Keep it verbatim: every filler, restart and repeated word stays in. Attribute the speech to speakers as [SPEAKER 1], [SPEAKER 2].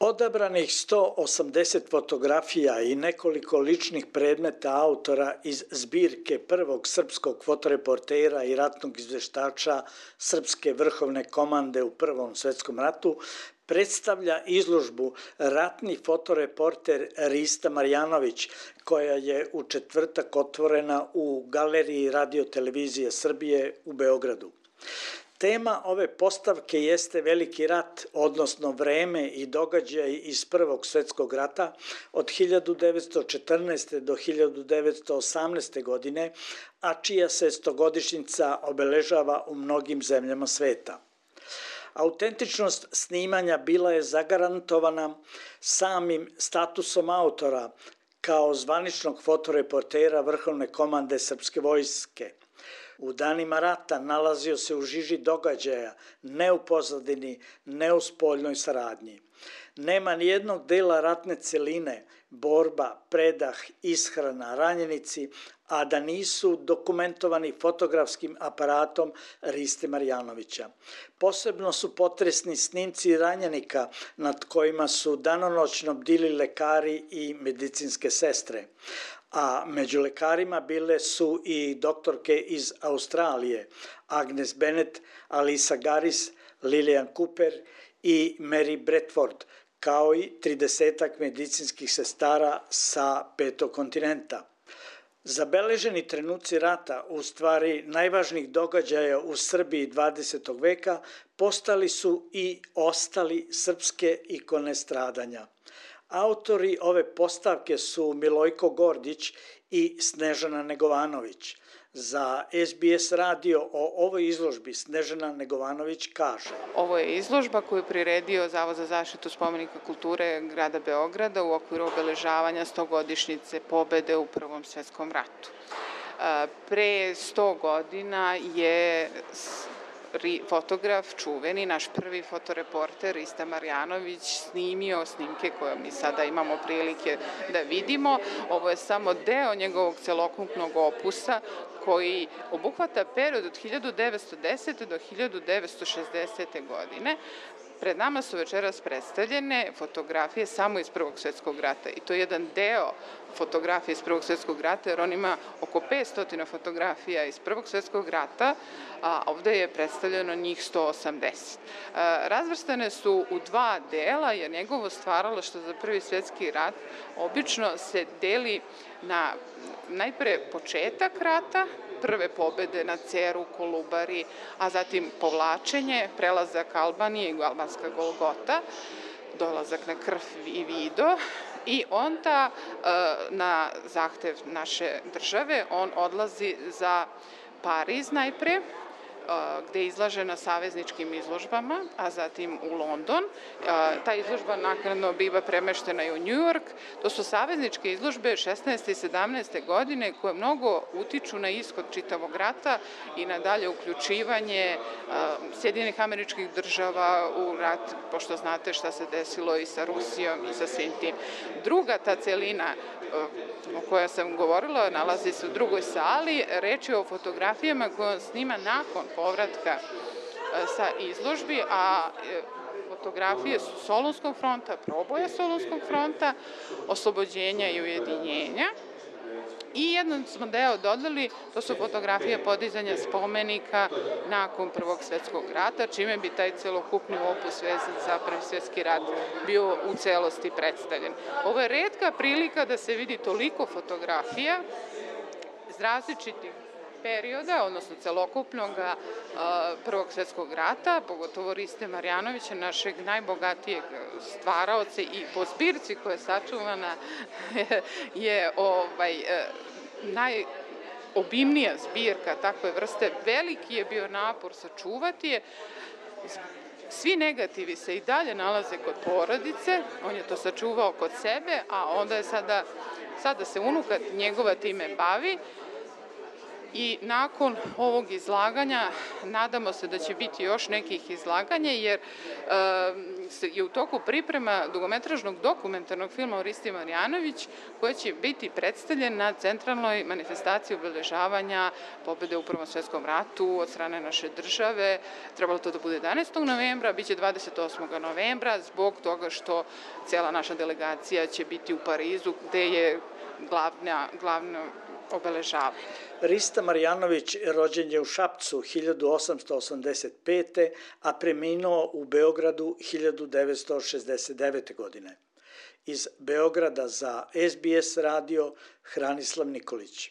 [SPEAKER 1] Odabranih sto osamdeset fotografija i nekoliko ličnih predmeta autora iz zbirke prvog srpskog fotoreportera i ratnog izveštača Srpske vrhovne komande u Prvom svetskom ratu predstavlja izložbu Ratni fotoreporter Rista Marjanović, koja je u četvrtak otvorena u Galeriji Radio-televizije Srbije u Beogradu. Tema ove postavke jeste Veliki rat, odnosno vreme i događaj iz Prvog svetskog rata od hiljadu devetsto četrnaeste. do hiljadu devetsto osamnaeste. godine, a čija se stogodišnjica obeležava u mnogim zemljama sveta. Autentičnost snimanja bila je zagarantovana samim statusom autora kao zvaničnog fotoreportera Vrhovne komande Srpske vojske. U danima rata nalazio se u žiži događaja, ne u pozadini, ne u spoljnoj saradnji. Nema nijednog dela ratne celine, borba, predah, ishrana, ranjenici, a da nisu dokumentovani fotografskim aparatom Riste Marjanovića. Posebno su potresni snimci ranjenika nad kojima su danonoćno bdili lekari i medicinske sestre. A među lekarima bile su i doktorke iz Australije, Agnes Bennett, Alisa Garis, Lilian Cooper i Mary Bradford, kao i tridesetak medicinskih sestara sa petog kontinenta. Zabeleženi trenuci rata, u stvari najvažnijih događaja u Srbiji dvadesetog veka, postali su i ostali srpske ikone stradanja. Autori ove postavke su Milojko Gordić i Snežana Negovanović. Za S B S radio o ovoj izložbi Snežana Negovanović kaže:
[SPEAKER 2] Ovo je izložba koju je priredio Zavod za zaštitu spomenika kulture grada Beograda u okviru obeležavanja stogodišnjice pobede u Prvom svetskom ratu. Pre sto godina je fotograf, čuveni, naš prvi fotoreporter Rista Marjanović snimio snimke koje mi sada imamo prilike da vidimo. Ovo je samo deo njegovog celokupnog opusa koji obuhvata period od hiljadu devetsto desete. do hiljadu devetsto šezdesete. godine. Pred nama su večeras predstavljene fotografije samo iz Prvog svetskog rata i to je jedan deo fotografije iz Prvog svetskog rata, jer on ima oko petsto fotografija iz Prvog svetskog rata, a ovde je predstavljeno njih sto osamdeset. Razvrstane su u dva dela, jer njegovo stvaralaštvo za Prvi svetski rat obično se deli na najpre početak rata, prve pobede na Ceru, Kolubari, a zatim povlačenje, prelazak Albanije i albanska Golgota, dolazak na Krf i Vido, i onda na zahtev naše države on odlazi za Pariz najpre, gde je izlažen na savezničkim izložbama, a zatim u London. Ta izložba naknadno biva premeštena i u New York. To su savezničke izložbe šesnaeste i sedamnaeste. godine koje mnogo utiču na ishod čitavog rata i na dalje uključivanje Sjedinjenih Američkih Država u rat, pošto znate šta se desilo i sa Rusijom i sa svim tim. Druga ta celina o kojoj sam govorila nalazi se u drugoj sali. Reč je o fotografijama koje on snima nakon povratka sa izložbi, a fotografije su Solunskog fronta, proboja Solunskog fronta, oslobođenja i ujedinjenja. I jedan smo deo dodali, to su fotografije podizanja spomenika nakon Prvog svetskog rata, čime bi taj celokupni opus vezan za Prvi svetski rat bio u celosti predstavljen. Ovo je retka prilika da se vidi toliko fotografija iz različitih perioda, odnosno celokupnog Prvog svetskog rata, pogotovo Riste Marjanovića, našeg najbogatijeg stvaraoca, i po zbirci koja je sačuvana je ovaj, najobimnija zbirka takve vrste. Veliki je bio napor sačuvati je. Svi negativi se i dalje nalaze kod porodice, on je to sačuvao kod sebe, a onda je sada, sada se unuka njegova time bavi. I nakon ovog izlaganja nadamo se da će biti još nekih izlaganja, jer je u toku priprema dugometražnog dokumentarnog filma o Risti Marjanović, koja će biti predstavljen na centralnoj manifestaciji obeležavanja pobede u Prvom svetskom ratu od strane naše države. Trebalo to da bude jedanaestog novembra, bit će dvadeset osmog novembra, zbog toga što cijela naša delegacija će biti u Parizu, gde je glavna, glavno obeležavanje.
[SPEAKER 1] Rista Marjanović rođen je u Šapcu hiljadu osamsto osamdeset pete. a preminuo u Beogradu hiljadu devetsto šezdeset devete. godine. Iz Beograda za S B S radio Hranislav Nikolić.